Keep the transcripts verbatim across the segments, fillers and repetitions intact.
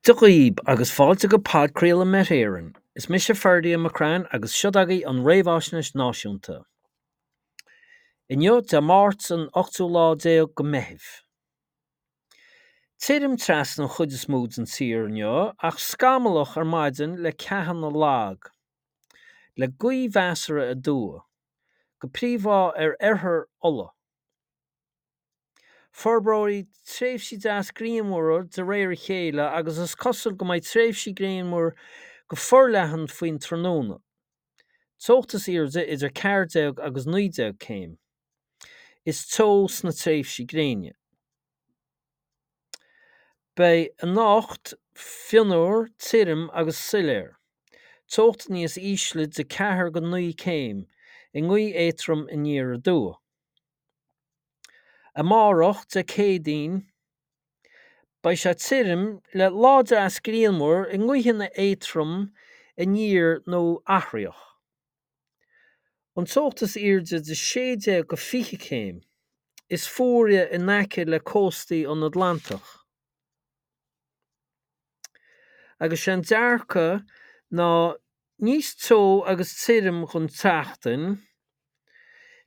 Dia dhaoib agus fáilte go podchraoladh Met Éireann. Is mise Ferdia McCrann agus seo agaibh an Réamhaisnéis Náisiúnta. Inniu Dé Máirt an ochtú lá déag go Meitheamh. Tirim trasna an chuid is mó den tír inniu ach scamallach ar maidin le ceathanna lag, le gaoth mheasartha aduaidh, go príomha ar oirthear Uladh. Forbróidh tréimhsí deas grianmhara de réir a chéile agus is cosúil go mbeidh tréimhsí grianmhar go forleathan faoin tráthnóna. Teocht is airde idir ceathair déag agus naoi déag céim. Is teo sna tréimhsí gréine. Beidh anocht fionnuar, tirim agus soiléir. Teocht níos ísle de ceathair go naoi céim, i ngaoth éadrom aniar aduaidh. Amárach, Dé Céadaoin, beidh sé tirim le lá deas grianmhar i ngaoitheanna éadrom aniar nó athraitheach. An teocht is airde de sé déag go fiche céim. Is fuaire in aice le cóstaí an Atlantach. Agus sé an dearcadh ná níos teo agus tirim don tseachtain,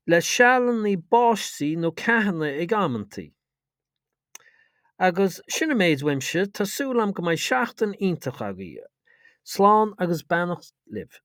le sealanna báistí nó ceathanna ag amantaí. Agus sin an méid uaimse, tá súil agam go mbeidh seachtain iontach agaibh. Slán agus beannacht libh.